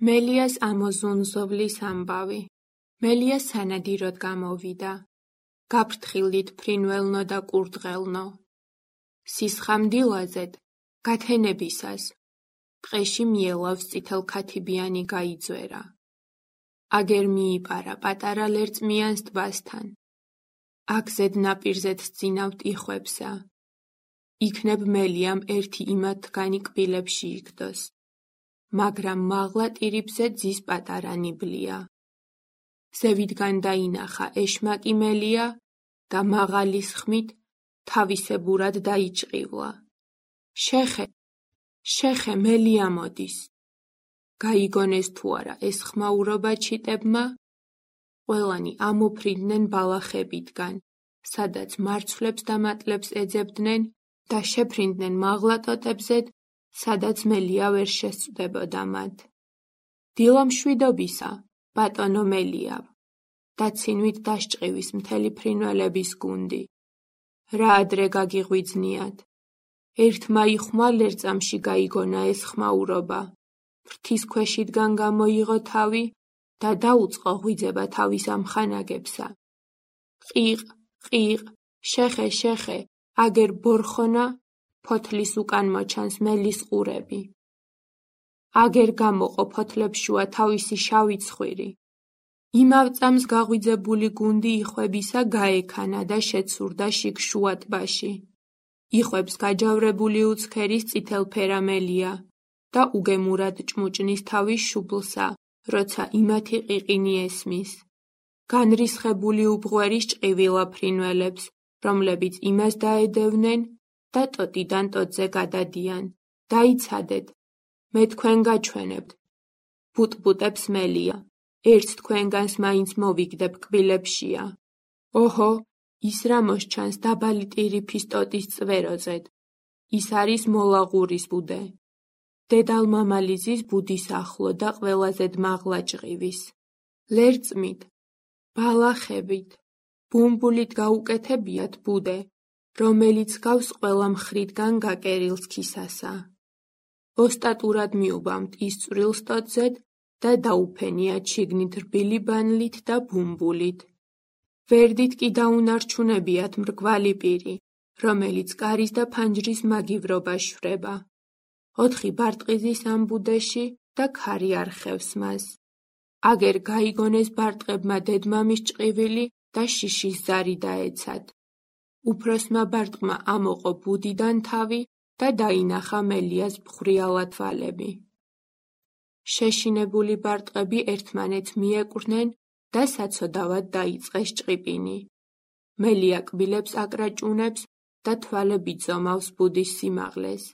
მელიას ამოზუნზოვლის ამბავი. მელია სანადიროდ გამოვიდა. გაფრთხილდით ფრინველნო და კურდღელნო. სისხამდილაზედ, გათენებისას. ტყეში მიელავს წითელქათიბიანი გაიძვერა. აგერ მიიპარა პატარა ლერწმიანს ტბასთან. აგზედ ნაპირზედ სძინავთ იხვებსა. იქნებ მელიამ ერთი იმათგანი კბილებში იგდოს. მაგრამ მაღლა ტირიფზე ძის პატარა ნიბლია. ზევიდან დაინახა ეშმაკი მელია და მაღალის ხმით თავისებურად დაიჭყივლა. შეხე მელია მოდის. გაიგონეს თუ არა ეს ხმაურობა ჩიტებმა? ყველანი ამოფრინდნენ ბალახებიდან, სადაც მარცვლებს და მატლებს ეძებდნენ და შეფრინდნენ მაღლა ტოტებზედ, სადაც მელია ვერ შესწვდებოდა მათ. დილა მშვიდობისა, ბატონო მელიავ, და ცინვით დასჭყივის მთელი ფრინველების გუნდი. რა ადრე გაგიღვიძნიათ? ერთმა იხმა ლერწამში გაიგონა ეს ხმაურობა. ფრთის ქვეშიდან გამოიღო თავი და დაუწყო ღვიძება თავის ამხანაგებსა. ყიყ, შეხე, აგერ ბორხონა, ფოთლის უკან მოჩანს მელის ყურები. აგერ გამოყო ფოთლებს შუა თავისი შავი ცხვირი. იმავ წამს გაღვიძებული გუნდი იხვებისა გაექანა და შეცურდა შიგ შუა ტბაში. იხვებს გაჯავრებული უცქერის წითელფერა მელია და უგემურად ჭმუჭნის თავის შუბლსა, როცა იმათი ყიყინი ესმის. განრისხებული უბღვერის ჭყივილა ფრინველებს, რომლებიც იმას დაედევნენ და ტოტიდან ტოტზე გადადიან. დაიცადეთ, მე თქვენ გაჩვენებთ. ბუტბუტებს მელია, ერთ თქვენგანს მაინც მოვიგდებ კბილებშია. ოჰო, ის რა მოსჩანს დაბალი ტირიფის ტოტის წვეროძედ. ის არის მოლაღურის ბუდე. დედალმამალიზის ბუდის ახლო და ყველაზე მაღლა ჭყივის. ლერწმით, ბალახებით, ბუმბულით გაუკეთებიათ ბუდე, რომელიც გავს ყველა მხრიდან გაკერილ სქისასა. ოსტატურად მიუბამთ ის წვრილს ტოტზედ და დაუფენიათ შიგნით რბილი ბანლით და ბუმბულით. ვერდით კი დაუნარჩუნებიათ მრგვალი პირი, რომელიც კარის და ფანჯრის მაგივრობას შვრება. 4 ბარტყიზის ამ ბუდეში და ქარი არხევს მას. აგერ გაიგონეს ბარტყებმა დედმამის ჭყივილი და შიშის ზარი დაეცათ. უფროსმა ბარტყმა ამოყო ბუდიდან თავი და დაინახა მელიას ბღვრიალა თვალები. შეშინებული ბარტყები ერთმანეთს მიეკვრნენ და საცოდავად დაიწყეს ჭყიპინი. მელია კბილებს აკრაჭუნებს და თვალები ძომავს ბუდის სიმაღლეს.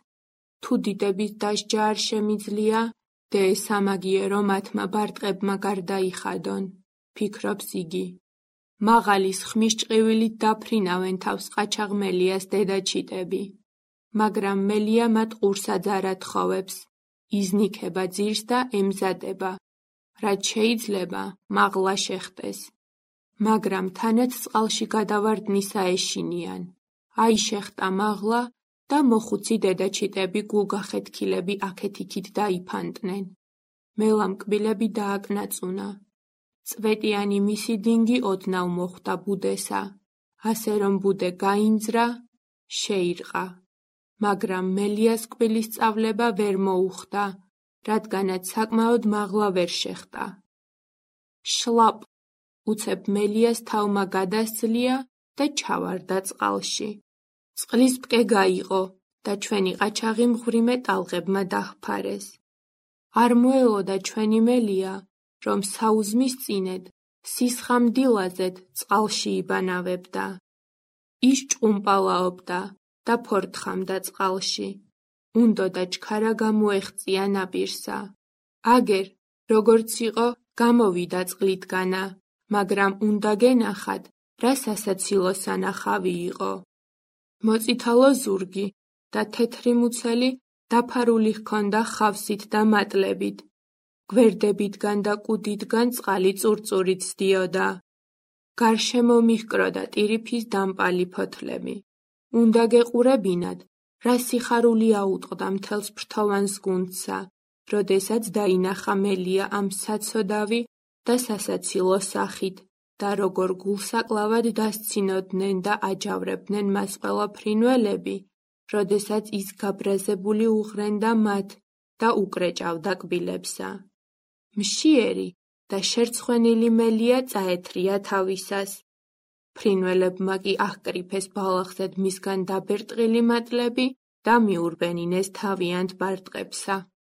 თუ დიდების დასჯა არ შემიძლია, დე სამაგიერო მათმა ბარტყებმა გარდაიხადონ, ფიქრობს იგი. მაღალის ხმის ჭყივილით დაფრინავენ თავს ყაჩაღ მელიას დედაჩიტები. მაგრამ მელია მათ ყურსად არ ათხოვებს, იზნიქება ძირს და ემზადება, რაც შეიძლება მაღლა შეხტეს. მაგრამ თანაც წყალში გადავარდნისა ეშინიან. აიშეხტა მაღლა და მოხუცი დედაჩიტები გულგახეთქილები აქეთ-იქით დაიფანტნენ. მელამ კბილები დააკნაწუნა. წვეტიანი მისი დინგი ოდნავ მოხვდა ბუდესა, ასე რომ ბუდე გაინძრა, შეირყა. მაგრამ მელიას კბილის სწავლება ვერ მოუხდა, რადგანაც საკმაოდ მაღლა ვერ შეხტა. შლაპ, უცებ მელიას თავმა გადასძლია და ჩავარდა წყალში. წყლის ბკე გაიყო და ჩვენი ყაჩაღი მღვიმე ტალღებმა დაჰფარეს. არ მოელოდა ჩვენი მელია, რომ საუზმის წინედ, სისხამდილაზედ წყალში იბანავებდა. ის ჭყუმპალაობდა და ფორთხამდა წყალში. უნდოდა ჩქარა გამოეღწია ნაპირსა. აგერ, როგორც იყო, გამოვიდა წყლითგანა, მაგრამ უნდა გენახათ, რა სასაცილო სანახავი იყო. მოწითალო ზურგი და თეთრი მუცელი დაფარული ჰქონდა ხავსით და მატლებით. გვერდებიდან და კუდიდან წყალი წურწურით სდიოდა. გარშემო მიჰკროდა ტირიფის დამპალი ფოთლები. უნდა გეყურებინათ, რა სიხარული აუტყდა მთელს ფრთოვანს გუნდსა, როდესაც დაინახა მელია ამ საცოდავი და სასაცილო სახით და როგორ გულსაკლავად დასცინოდნენ და აჯავრებდნენ მას ყველა ფრინველები, როდესაც ის გაბრაზებული უღრენდა მათ და უკრეჭავდა კბილებსა. მშიერი და შერცხვენილი მელია წაეთრია თავისას. ფრინველებმა კი აჰკრიფეს ბალახზედ მისგან დაბერტყილი მატლები და მიურბენინეს თავიანთ ბარტყებსა.